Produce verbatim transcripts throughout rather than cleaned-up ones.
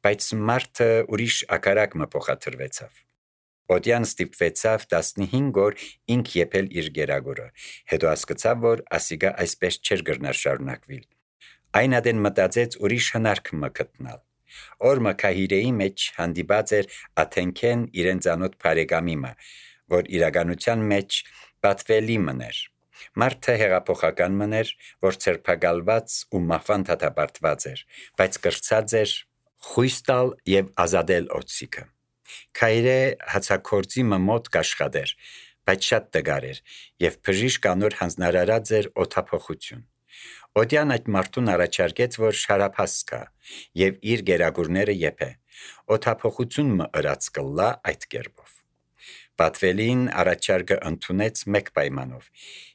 բայց մարդը ուրիշ ակարակ մը փոխադրվեցավ։ Օդյան ստիպվեցավ տասնհինգ օր ինք եփել իր գերագորը, հետո հասկացավ, որ ասիգա այսպես չէր գրնար շարունակվիլ։ Այն ադեն մտածեց ուրիշ հնարք մը գտնալ։ Օրմը քահիրեի մեջ հանդիպած էր Աթենքեն իրեն ծանոթ բարեկամի մը, որ իրականության մեջ պատվելի մներ։ Մարդը հեղափոխական մներ, որ ցերփակալված ու մահվան դատապարտված էր, բայց կրծած էր խույս տալ եւ ազատել օծիկը։ Քայրե հացակորձի մոտ կաշխատեր, բայց շատ տգար էր եւ բժիշկ անոր հանձնարարած էր օթափողություն։ Օդյան այդ մարդուն առաջարկեց, որ շարափաս կա եւ իր գերագուրները եփե։ Օթափողություն մը ըրած կլա այդ կերպով։ Պատվելին առաջարկը ընդունեց մեկ պայմանով.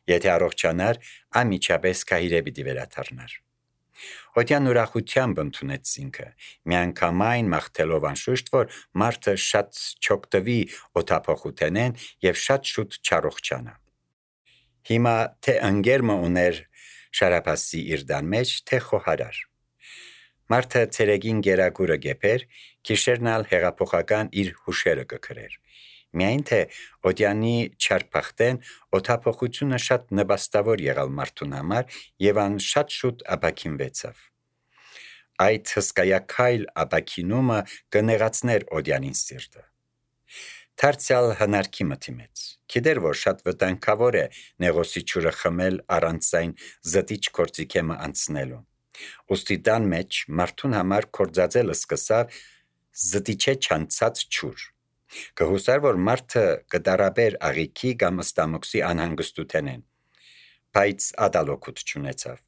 եթե առողջանար, ամիջապես քահիրե պիտի վերադառնար։ Օդյան ուրախությամբ ընդունեց ինքը, միանգամայն մաղթելով անշուշտ, որ մարդը շատ չօգտվի օթափողութենեն եւ շատ շուտ չառողջանա։ Հիմա թե ընկերը ուներ շարափասի իր դան մեջ, թե խոհարար։ Մարդը ցերեգին գերագուրը գեփեր, քիշերնալ հեղափոխական իր հուշերը կքրեր։ Միայն թե օդյանի չարփախտեն օթափողությունը շատ նպաստավոր եղալ մարդուն համար եւ ան շատ շուտ ապակինվեցավ։ Այդ հսկայակայլ ապակինումը կնեղացներ օդյանին սիրտը։ Դարձյալ հնարքի մտիմեց։ Գիտեր, որ շատ վտանգավոր է նեղոսի ջուրը խմել առանց այն զտիչ կորցիկեմը անցնելու։ Ոստի տան մեջ մարդուն համար կորձածելը սկսավ զտիչե չանցած ջուր։ Կհուսար, որ մարդը կդարաբեր աղիքի կամ ստամոքսի անհանգստութենեն, բայց ադալոքուտ չունեցավ։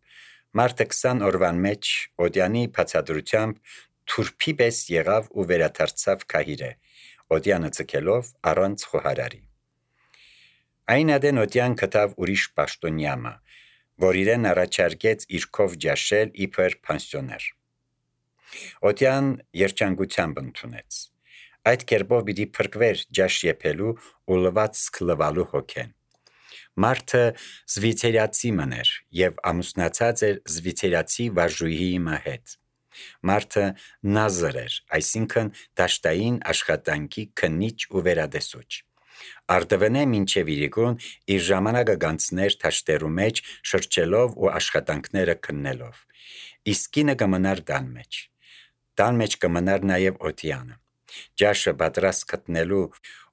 Մարդը քսան օրվան մեջ օդյանի բացատրությամբ թուրփի պես եղավ ու վերադարձավ քահիրե, օդյանը ցկելով առանց խոհարարի։ Այն ադեն օդյան կտավ ուրիշ պաշտոնյամը, որ իրեն առաջարկեց իրքով ջաշել իբր պանսիոներ։ Օդյան երջանկությամբ ընդունեց։ Այդ կերպով պիտի փրկվեր ջաշ եփելու ու լվացք լվալու հոգեն։ Մարդը զվիցերացի մներ եւ ամուսնացած էր զվիցերացի վարժուհիի հետ։ Մարդը նազր էր, այսինքն դաշտային աշխատանքի քննիչ ու վերադեսուչ։ Արդվենե մինչև իրիկուն իր ժամանակը գանցներ թաշտերու մեջ շրջելով ու աշխատանքները քննելով։ Իսկ կինը կմնար տան մեջ։ Տան մեջ կմնար նաև օդյանը։ Ջաշը պատրաստ գտնելու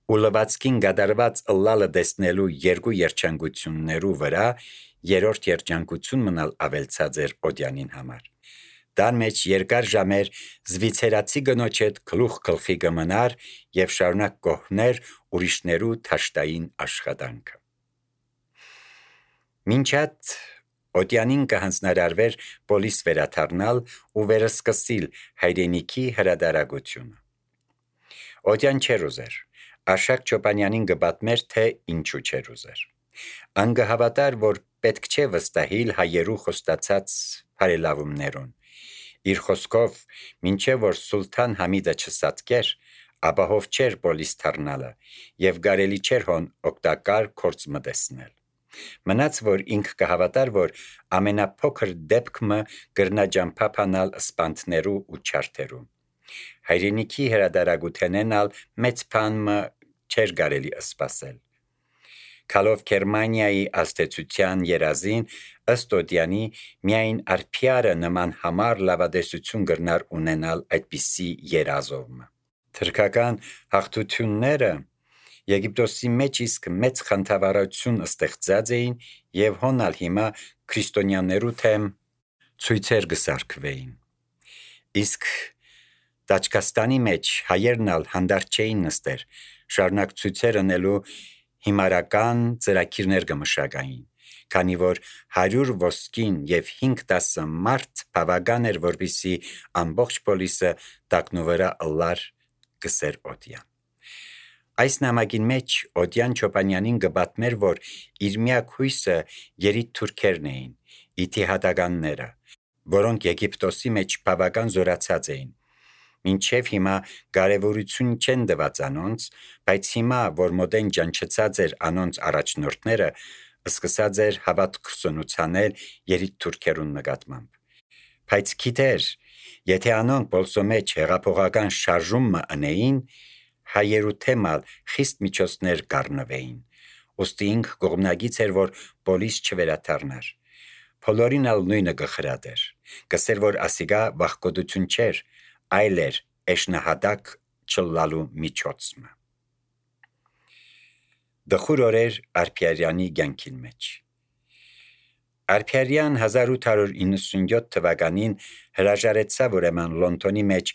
ու լվացքին գդարված ըլլալը տեսնելու երկու երջանկություններու վրա երրորդ երջանկություն մնալ ավելցած էր օդյանին համար։ Տան մեջ երկար ժամեր զվիցերացի գնոջ հետ գլուխ գլխի կմնար եւ շարունակ կողներ ուրիշներու թաշտային աշխատանքը։ Մինչ այդ օդյանին կհանձնարարվեր պոլիս վերադառնալ ու վերսկսիլ հայրենիքի հրադարագությունը։ Օդյան չէր ուզեր, Արշակ Չոպանյանին կպատմեր, թե ինչու չէր ուզեր։ Ան կհավատար, որ պետք չէ վստահիլ հայերու խոստացած բարելավումներուն։ Իր խոսքով, մինչև որ Սուլթան Համիդը չսատկեր, ապահով չէր պոլիս դառնալը եւ կարելի չէր հոն օգտակար կորց մտեսնել։ Մնաց, որ ինք կհավատար, որ ամենափոքր դեպքը կրնա ջամփափանալ սպանթներու ու չարթերու։ Հայրենիքի հրադարագութենենալ մեծ բանը չէր կարելի սպասել։ Քալով Գերմանիայի ազդեցության երազին ըստ օդյանի միայն արփիարը նման համար լավադեսություն կրնար ունենալ այդպիսի երազով։ Թրքական հաղթությունները Եգիպտոսի մեջ իսկ մեծ խնդավառություն ստեղծած էին եւ հոնալ հիմա քրիստոնյաներու թեմ ցույցեր կսարքվեին։ Իսկ Տաճկաստանի մեջ հայերն ալ հանդարտ չէին նստեր, շարունակ ցույցեր անելու հիմարական ծրագիրներ կմշակային, քանի որ հարյուր ոսկին եւ հինգ տասը մարդ բավական էր, որպեսզի ամբողջ պոլիսը տակնուվրա ըլլար գսեր օդյան։ Այս նամակին մեջ Օդյան Չոպանյանին կպատմեր, որ իր միակ հույսը երիտ թուրքերն էին, իթիհադականները, որոնք Եգիպտոսի մեջ բավական զորացած էին։ Մինչև հիմա կարևորություն չեն տված անոնց, բայց հիմա, որ մոդեն ջանչեցած էր անոնց առաջնորդները, սկսած էր հավատք սնուցանել երիտ թուրքերուն նկատմամբ։ Բայց գիտեր, Եթե անոնք բոլսո մեջ հեղափոխական շարժումը ընեին, հայերու թեմալ խիստ միջոցներ կառնվեին։ Ոստի ինք կողմնագից էր, որ պոլիս չվերաթարնար։ Բոլորին ալ նույնը գխրադեր։ Կսեր, որ ասիգա վախկոդություն չէր, այլ էր էշնահադակ չլալու միջոցը։ Դխուր օրեր Արփիարյանի կյանքին մեջ։ Արփիարյան հազար ութ հարյուր իննսունյոթ թվականին հրաժարեցավ ուրեմն Լոնդոնի մեջ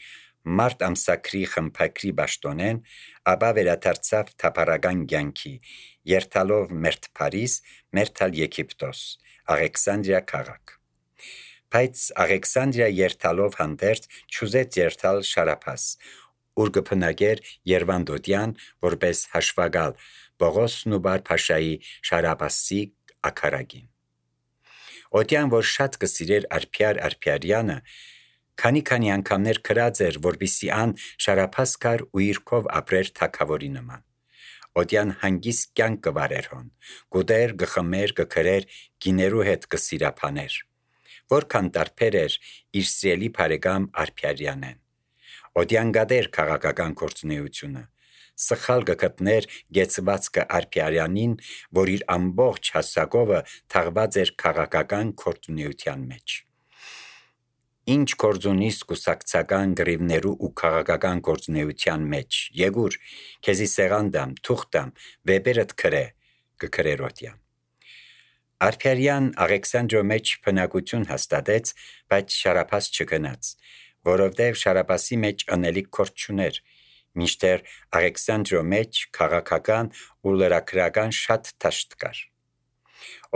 մարտ ամսակրի խմփակրի պաշտոնեն, ապա վերադարձավ թափառական կյանքի, երթալով մերթ Փարիզ, մերթալ Եգիպտոս, Աղեքսանդրիա քաղաք։ Բայց Աղեքսանդրիա երթալով հանդերձ չուզեց երթալ Շարափաս, ուր կփնագեր Երվանդոդյան, որպես հաշվագալ Պողոս Նուբար Փաշայի Շարափասի ակարագին։ Օդյան, որ շատ կսիրեր Արփիար Արփիարյանը, քանի-քանի անգամներ քրած էր, որպիսի ան Շարափաս կար ու իրքով ապրեր թագավորի նման։ Օդյան հանգիստ կյանք կվարեր հոն, գուտեր, գխմեր, գքրեր, գիներու հետ կսիրափաներ։ Որքան տարբեր էր իր սիրելի բարեկամ Արփիարյանեն։ Օդյան գադեր քաղաքական գործունեությունը, սխալ կգտներ գեցվածքը Արփիարյանին, որ իր ամբողջ հասակովը թաղված էր քաղաքական գործունեության մեջ։ Ինչ գործունիս կուսակցական գրիվներու ու քաղաքական գործունեության մեջ, եկուր, քեզի սեղանդամ, թուղթամ, վեպերդ քրե, կքրեր Օդյան։ Արփիարյան Աղեքսանդրո մեջ բնակություն հաստատեց, բայց Շարափաս չգնաց, որովհետև Շարափասի մեջ անելիք գործ չուներ, մինչդեռ Աղեքսանդրո մեջ քաղաքական ու լրագրական շատ դաշտ կար։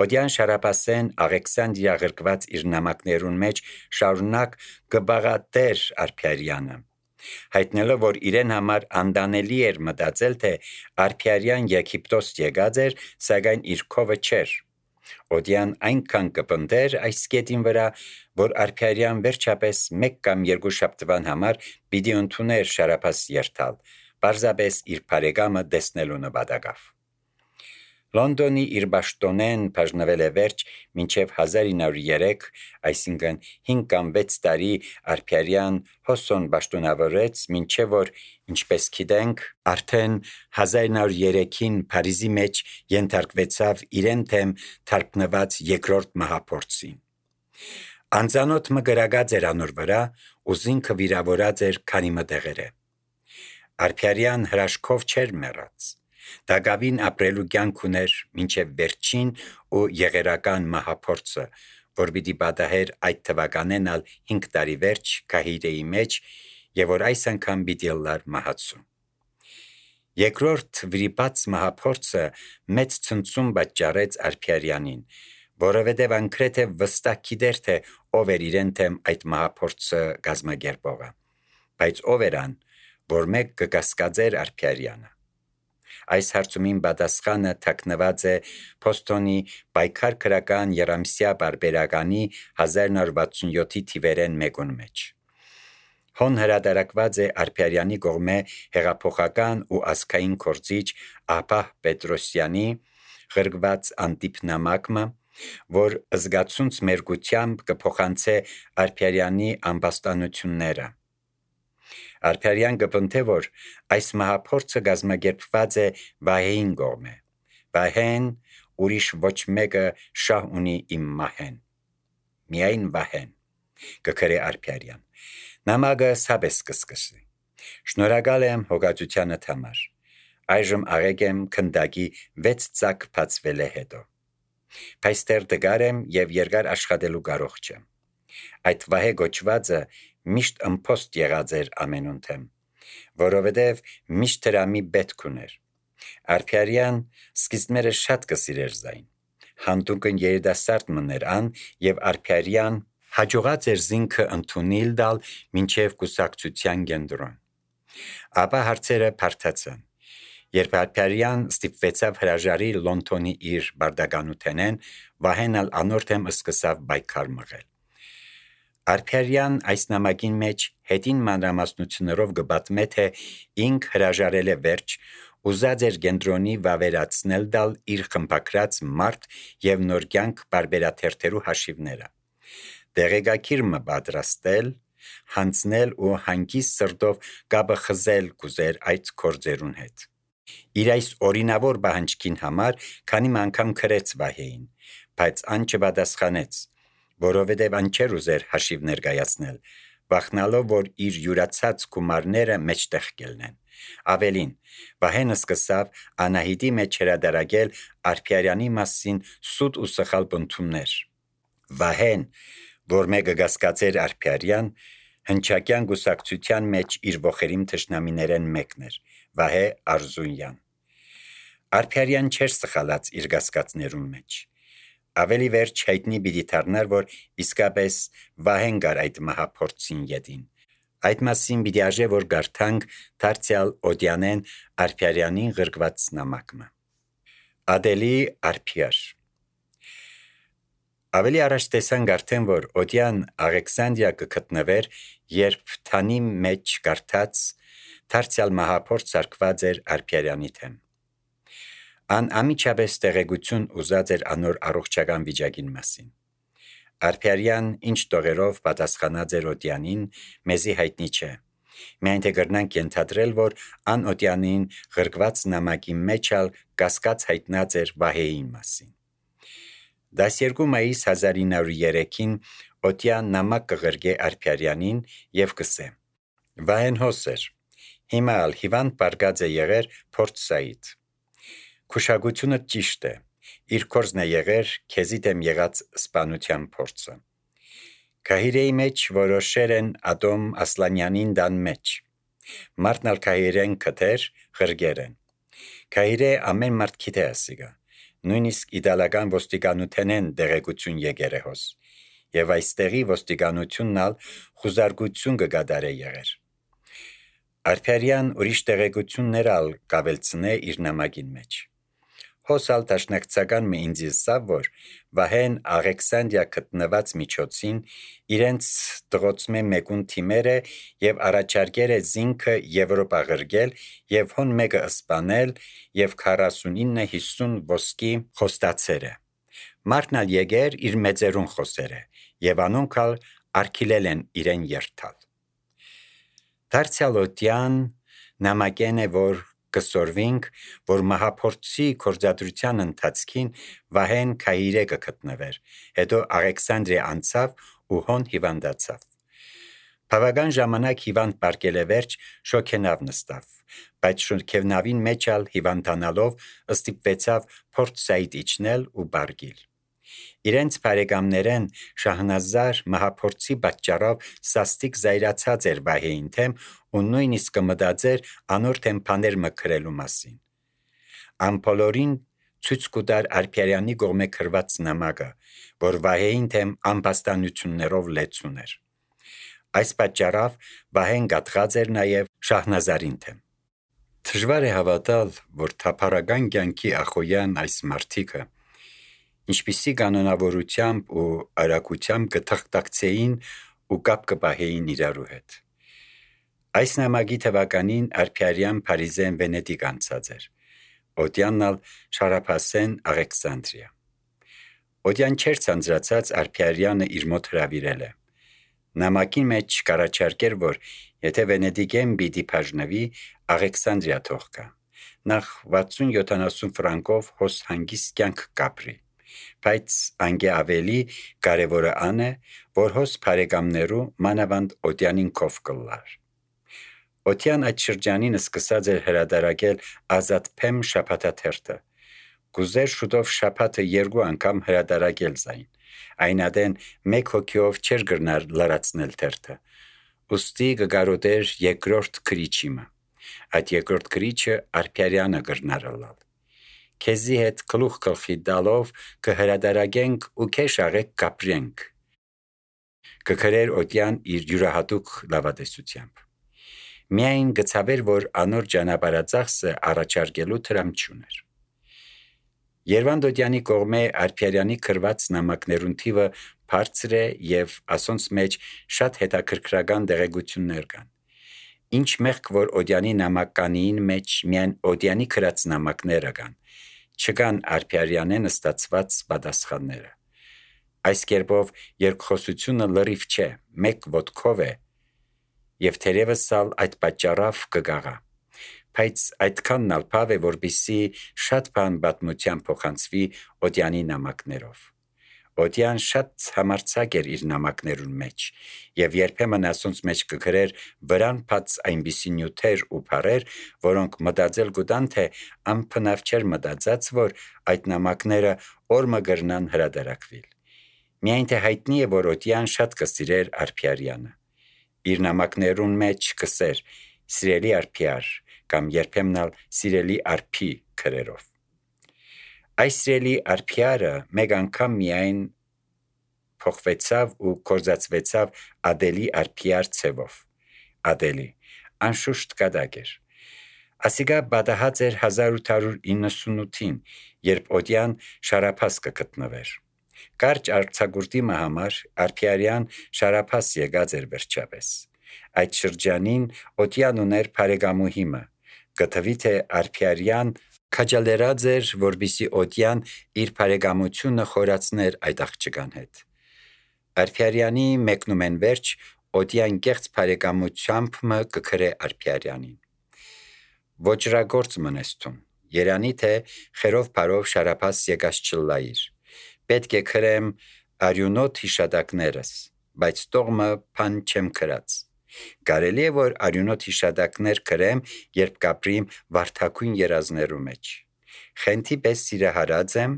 Օդյան Շարափասեն Աղեքսանդրիա ղրկված իր նամակներուն մեջ շարունակ կբաղատեր Արփիարյանը, հայտնելով, որ իրեն համար անդանելի էր մտածել, թե Արփիարյան Եգիպտոս եկած էր, սակայն իր քովը չէր։ Օդյան այնքան կպնդեր այս կետին վրա, որ Արփիարյան վերջապես մեկ կամ երկու շաբթվան համար պիտի ընդուներ Շարափաս երթալ, պարզապես իր բարեկամը տեսնելու նպատակով։ Լոնդոնի իր պաշտոնեն բաժնվել է վերջ մինչև հազար ինը հարյուր երեք, այսինքն հինգ կամ վեց տարի Արփիարյան հոսոն պաշտոնավորեց, մինչև որ, ինչպես գիտենք, արդեն հազար ինը հարյուր երեքին Փարիզի մեջ ենթարկվեցավ իրեն թեմ թարգնված երկրորդ մահափորձին։ Անծանոթ մը գրագած էր անոր վրա, ու զինքը վիրավորած էր քանի մտեղերը։ Արփիարյան հրաշքով չէր մեռած։ Դագավին ապրելու կյանք ուներ մինչև վերջին ու եղերական մահափորձը, որ պիտի պատահեր այդ թվականեն ալ հինգ տարի վերջ Կահիրեի մեջ, եւ որ այս անգամ պիտի լար մահացու։ Երկրորդ վրիպած մահափորձը մեծ ցնցում պատճառեց Արփիարյանին, որովհետև անկրեթե վստահ գիտեր, թե ով էր իրեն թեմ այդ մահափորձը գազմագերբողը, բայց ով էր ան, որ մեկ կկասկածեր Արփիարյանը։ Այս հարցումին պատասխանը թաքնված է Փոստոնի պայքար քրական երամսյա բարբերականի հազար ինը հարյուր վաթսունյոթի թիվերեն մեկուն մեջ։ Հոն հրատարակված է Արփիարյանի կողմէ հեղափոխական ու ազգային գործիչ Աբահ Պետրոսյանի ղրկված անտիպնամակը, որ զգացունց մերգությամբ կփոխանցե Արփիարյանի ամբաստանությունները։ Արփիարյան կպնդե, որ այս մահափորձը գազմագերբված է Վահեին կողմէ։ Վահեն ուրիշ ոչ մեկը շահ ունի իմ մահեն։ Միայն Վահեն, կքրե Արփիարյան։ Նամակը սաբես կսկսի։ Շնորհակալ եմ հոգացությանդ համար։ Այժմ աղեկ եմ քնդակի վեց ծակ բացվել է հետո։ Բայց դեռ դգար եմ եւ երկար աշխատելու կարող չեմ։ Այդ Վահե գոչվածը միշտ ըմփոստ եղած էր ամենունթեմ, որովհետև միշտ դրամի պետք ուներ։ Արփիարյան սկիզբները շատ կսիրեր զայն։ Հանդուկն երիտասարդ մներ ան եւ Արփիարյան հաջողած էր զինքը ընդունել դալ մինչև կուսակցության կենտրոն։ Ապա հարցերը բարդացան։ Երբ Արփիարյան ստիպվեցավ հրաժարի Լոնդոնի իր բարդականութենեն, Վահեն ալ անորթեմ սկսավ պայքար մղել։ Արփիարյան այս նամակին մեջ հետին մանրամասնություններով կպատմե, թե ինք հրաժարել է վերջ, ուզած էր կենտրոնի վավերացնել դալ իր խմբակրած մարդ եւ նոր կյանք բարբերաթերթերու հաշիվները։ Դեղեկագիր մը պատրաստել, հանձնել ու հանգիստ սրտով գաբը խզել կուզեր այդ կորձերուն հետ։ Իր այս օրինավոր բահանջքին համար քանի անգամ քրեց Վահեին, բայց ան չպատասխանեց, որովհետև ան չէր ուզեր հաշիվ ներկայացնել, վախնալով, որ իր յուրացած գումարները մեջտեղ կելնեն։ Ավելին, Վահեն սկսավ Անահիտի մեջ հրադարագել Արփիարյանի մասին սուտ ու սխալ բնդումներ։ Վահեն, որ մեկը գասկածեր Արփիարյան, հնչակյան գուսակցության մեջ իր ողերիմ թշնամիներեն մեկն էր, Վահե Արզունյան։ Արփիարյան չէր սխալած իր գասկածներուն մեջ։ Ավելի վերջ հայտնի պիտի դառնար, որ իսկապես Վահեն գար այդ մահափորձին ետին։ Այդ մասին պիտի արժե, որ գարթանք դարձյալ Օդյանեն Արփիարյանին ղրկված նամակը։ Ադելի Արփիար։ Ավելի առաջ տեսանք արդեն, որ Օդյան Աղեքսանդրիա կգտնվեր, երբ թանի մեջ կարդաց դարձյալ մահափորձ սարքված էր Արփիարյանի թեմ։ Ան ամիջապես տեղեկություն ուզած էր անոր առողջական վիճակին մասին։ Արփիարյան ինչ տողերով պատասխանած էր Օդյանին, մեզի հայտնի չէ։ Միայն թե կրնանք ենթադրել, որ ան Օդյանին ղրկված նամակի մեջ ալ կասկած հայտնած էր Վահեին մասին։ դասերկու մայիս հազար ինը հարյուր երեքին Օդյան նամակ կղրկե Արփիարյանին եւ կսե. Վահեն հոս էր, հիմա ալ հիվանդ բարգած է եղեր փորձսայիդ։ Քուշագությունը ճիշտ է, իր կորզն է եղեր քեզի դեմ եղած սպանության փորձը։ Քահիրեի մեջ որոշեր են Ադոմ Ասլանյանին դան մեջ։ Մարդն ալ քահիրեն կտեր, ղրգեր են։ Քահիրե ամեն մարդ գիտե ասիգա, նույնիսկ իդալական ոստիկանութենեն դեղեկություն եկեր է հոս, եւ այստեղի ոստիկանությունն ալ խուզարկություն կգադարե եղեր։ Արփիարյան ուրիշ տեղեկություններ ալ կավելցնե իր նամակին մեջ։ Հոսալ տաշնակցական մի ինձ սավ, որ Վահեն Աղեքսանդրիա գտնված միջոցին իրենց տղոցմե մեկուն թիմերը եւ առաջարկեր է զինքը Եվրոպա ղրգել եւ հոն մեկը սպանել եւ քառասունինը հիսուն ոսկի խոստացեր է։ Մարդն ալ եկեր իր մեծերուն խոսեր է եւ անոնք ալ արգիլել են իրեն երթալ։ Դարձյալ Օդյան նամակեն է, որ կսորվինք, որ մահափորձի կորձադրության ընթացքին Վահեն քահիրե կգտնվեր, հետո Աղեքսանդրիա անցավ ու հոն հիվանդացավ։ Բավական ժամանակ հիվանդ պարկել է վերջ, շոքենավ նստավ, բայց շոքենավին մեջ ալ հիվանդանալով ստիպվեցավ փորձսայիդ իջնել ու բարգիլ։ Իրենց բարեկամներեն Շահնազար մահափորձի պատճառով սաստիկ զայրացած էր Վահեին թեմ ու նույնիսկ կմտածեր անոր թեմ բաներ մքրելու մասին։ Ամփոլորին ցույց կտար Արփիարյանի կողմէ քրված նամակը, որ Վահեին թեմ ամբաստանություններով լեցուն էր։ Այս պատճառով Վահեն գատղած էր նաև Շահնազարին թեմ։ Դժվար է հավատալ, որ թափառական կյանքի ախոյան այս մարդիկը ինչպիսի կանոնավորությամբ ու արագությամբ կթղթակցեին ու կապ կպահեին իրարու հետ։ Այս նամակի թվականին Արփիարյան Փարիզեն Վենետիկ անցած էր, Օդյանն ալ Շարափասեն Աղեքսանդրիա։ Օդյան չէր ցանցրացած Արփիարյանը իր մոտ հրավիրել է։ Նամակին մեջ կառաջարկեր, որ եթե Վենետիկեն պիտի բաժնվի, Աղեքսանդրիա թող գա, նախ վաթսուն յոթանասուն ֆրանկով հոս հանգիստ կյանք կապրի, բայց անգե ավելի կարևորը ան է, որ հոս բարեկամներու մանավանդ Օդյանին կով կլար։ Օդյան այդ շրջանին սկսած էր հրադարակել ազատ փեմ շաբաթաթերթը։ Կուզեր շուտով շաբաթը երկու անգամ հրադարակել զայն, այնադեն մեկ հոգիով չէր գրնար լրացնել թերթը, ուստի կգարոտեր երկրորդ քրիչիմը, այդ երկրորդ քրիչը Արփիարյանը գրնար լալ։ Քեզի հետ գլուխ գլխի դալով կհրադարագենք ու քեշ աղեք կապրենք, կգրեր Օդյան իր յուրահատուկ լավատեսությամբ։ Միայն գցավեր, որ անոր ճանապարհածախսը առաջարկելու տրամք չուներ։ Երվանդ Օդյանի կողմէ Արփիարյանի քրված նամակներուն թիվը բարձր է եւ ասոնց մեջ շատ հետաքրքրական տեղեկություններ կան։ Ինչ մեղք որ Օդյանի նամականին մեջ միայն Օդյանի քրած նամակները կան, չկան Արփիարյանեն ստացված պատասխանները։ Այս կերպով երկխոսությունը լրիվ չէ, մեկ ոտքով է, Եվ թերևս ալ այդ պատճառով կգաղա։ Բայց այդքանն ալ բավ է, որպիսի շատ բան պատմության փոխանցվի Օդյանի նամակներով։ Օդյան շատ համարձակ էր իր նամակներուն մեջ, եւ երբեմն ասոնց մեջ կգրեր վրան բաց այնպիսի նյութեր ու բառեր, որոնք մտածել գուտան, թե անփնավ չէր մտածած, որ այդ նամակները օրը գրնան հրադարակվիլ։ Միայն թե հայտնի է, որ Օդյան շատ կսիրեր Արփիարյանը։ Իր նամակներուն մեջ կսեր «Սիրելի Արփիար» կամ երբեմն ալ «Սիրելի Արփի» քրերով։ Այս սիրելի Արփիարը մեկ անգամ միայն փոխվեցավ ու կորզացվեցավ Ադելի Արփիար ցևով։ Ադելի անշուշտ կադակ էր։ Ասիգա բադահած էր հազար ութ հարյուր իննսունութին, երբ Օդյան շարափաս կգտնվեր։ Կարճ արձակուրդի համար Արփիարյան շարափաս եկած էր վերջապես։ Այդ շրջանին Օդյան ուներ բարեկամուհիմը, գտվի թե Արփիարյան քաջալերած էր, որպիսի Օդյան իր բարեկամությունը խորացներ այդ աղջկան հետ։ Արփիարյանի մեկնումեն վերջ Օդյան կեղծ բարեկամությամբ մը կգրե Արփիարյանին։ Ոճրագործ մնեստուն, երանի թե խերով բարով շարափաս եկած չլայիր։ Պետք է քրեմ արյունոտ հիշադակներս, բայց տողմը փան չեմ քրած։ Կարելի է, որ արյունոտ հիշադակներ քրեմ, երբ կապրիմ վարդակույն երազներու մեջ։ Խենթի պես սիրահարած եմ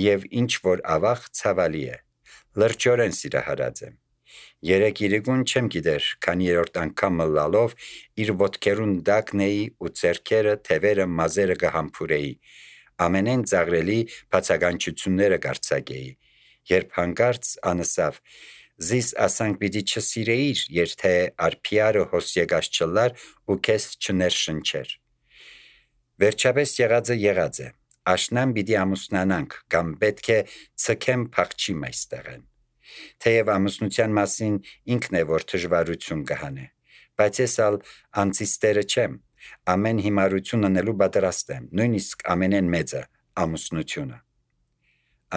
եւ ինչ որ ավաղ ցավալի է։ Լրջորեն սիրահարած եմ։ Երեք իրիկուն չեմ գիտեր, քանի երորդ անգամ լալով իր ոտքերուն դակնեի ու ձեռքերը, թևերը, մազերը կհամբուրեի։ Ամենեն ծաղրելի բացականչությունները կարձակեի, երբ հանկարծ անսավ զիս ասանք պիտի չսիրեիր, երթե Արփիարը հոս եկած չլար ու քեզ չներշնչեր։ Վերջապես եղածը եղած է, աշնան պիտի ամուսնանանք, կամ պետք է ցկեմ փախչիմ այստեղեն։ Թեև ամուսնության մասին ինքն է, որ դժվարություն կհանե, բայց ես ալ անցիստերը չեմ, ամեն հիմարություն անելու պատրաստ եմ, նույնիսկ ամենեն մեծը ամուսնությունը։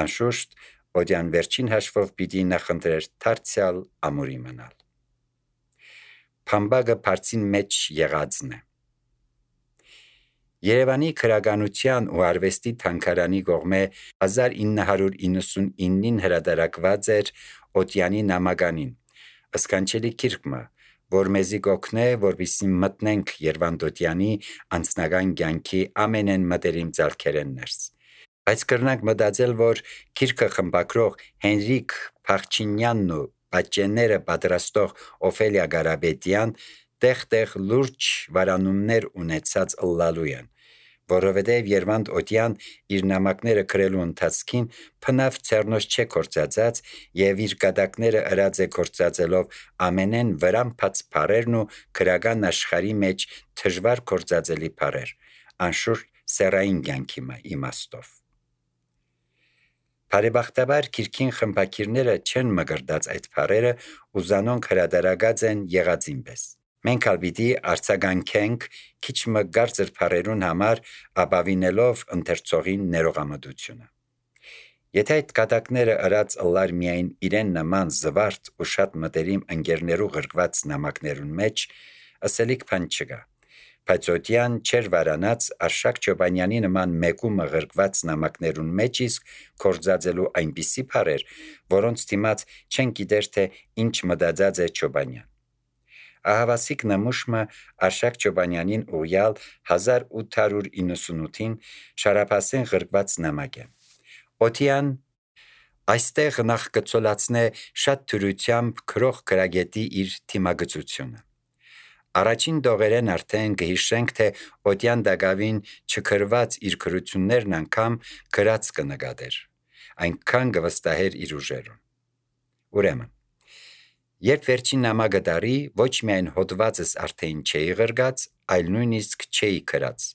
Անշուշտ Օդյան վերջին հաշվով պիտի նախընտրեր դարձյալ ամուրի մնալ։ Փամբագը բարձին մեջ եղածն է։ Երևանի քրագանության ու արվեստի թանգարանի կողմէ հազար ինը հարյուր իննսունինին հրատարակված էր Օդյանի նամականին, ըսկանչելի գիրքը, որ մեզի կօգնե, որպեսզի մտնենք Երվանդ Օդյանի անձնական կյանքի ամենեն մտերիմ ձեռքերեն ներս։ Բայց կրնանք մտածել, որ գիրքը խմբագրող Հենրիկ Փախչինյանն ու պատճենները պատրաստող Օֆելիա Գարաբետյան տեղ-տեղ լուրջ վարանումներ ունեցած ըլլալու են, որովհետև Երվանդ Օդյան իր նամակները գրելու ընթացքին փնավ ցերնոց չէ կործածած եւ իր գդակները ըրած է կործածելով ամենեն վրան բաց բարերն ու քրական աշխարհի մեջ դժվար կործածելի բարեր, անշուշտ սերային կյանքի իմաստով։ Բարեբախտաբար քիրքին խմբակիրները չեն մգրդած այդ բարերը ու զանոնք հրադարագած են եղածին պես։ Մենք ալ պիտի արձագանքենք քիչ մը գարծր բարերուն համար ապավինելով ընթերցողին ներողամտությունը։ Եթե այդ կատակները ըրած ըլլար միայն իրեն նման զվարթ ու շատ մտերիմ ընկերներու գրկված նամակներուն մեջ, ըսելիք բան չկա։ Բայց Օդյան չեր վարանած Արշակ Չոբանյանի նման մեկումը գրկված նամակներուն մեջ իսկ կործածելու այնպիսի բարեր, որոնց դիմաց չեն գիտեր թե ինչ մտածած է Չոբանյան։ Ահավասիկ նմուշմը Արշակ Չոբանյանին ուղյալ հազար ութ հարյուր իննսունութին շարափասեն գրկված նամակ է։ Օդյան այստեղ նախ կցոլացնե շատ թյուրությամբ քրող գրագետի իր թիմագծությունը։ Առաջին դողերեն արդեն կհիշենք, թե Օդյան դակավին չքրված իր քրություններն անգամ գրած կնկատեր, այնքան կվստահեր իր ուժերուն։ Ուրեմն, երբ վերջին նամակը տարի, ոչ միայն հոդվածս արդեն չէի գրգած, այլ նույնիսկ չէի գրած,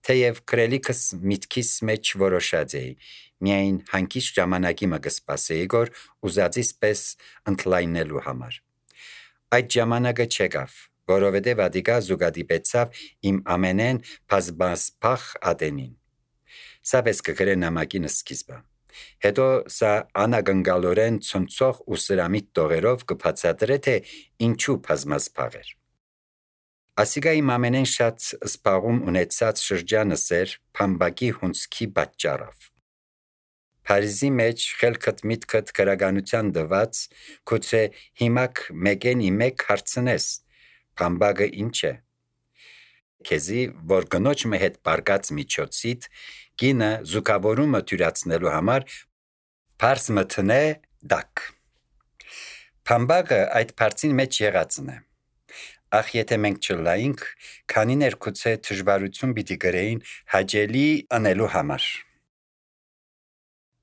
թեև քրելիքս միտքիս մեջ որոշած էի, միայն հանկիստ ժամանակի մը կսպասեի գոր ուզածիս պես ընդլայնելու համար։ Այդ ժամանակը չեկավ, որովհետև ադիկա զուգադիպեցավ իմ ամենեն բազմասփախ ատենին։ Սա պես կգրե նամակին սկիզբը։ Հետո սա անագնգալորեն ցնցող ու սրամիտ տողերով կբացատրե, թե ինչու բազմազբաղ էր։ Ասիգա իմ ամենեն շատ սպաղում ունեցած շրջանս էր Փամբակի հունձքի պատճառով։ Փարիզի մեջ խելքդ միտքդ քրագանության դված, գուցե հիմակ մեկեն իմեք հարցնես, Փամբակը ինչ է։ Քեզի, որ գնոջը հետ բարգած միջոցիդ, գինը զուգավորումը թյուրացնելու համար Փարս մտնե դակ։ Փամբակը այդ փարցին մեջ եղածն է։ Ախ եթե մենք չլայինք, քանիներ գուցե դժվարություն պիտի գրեին հաջելի անելու համար։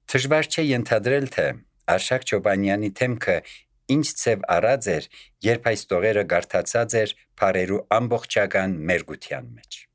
Դժվար չէ ենթադրել, թե Արշակ Չոբանյանի թեմքը ինչ ցև առած էր, երբ այս տողերը գարթացած էր փարերու ամբողջական մերգության մեջ։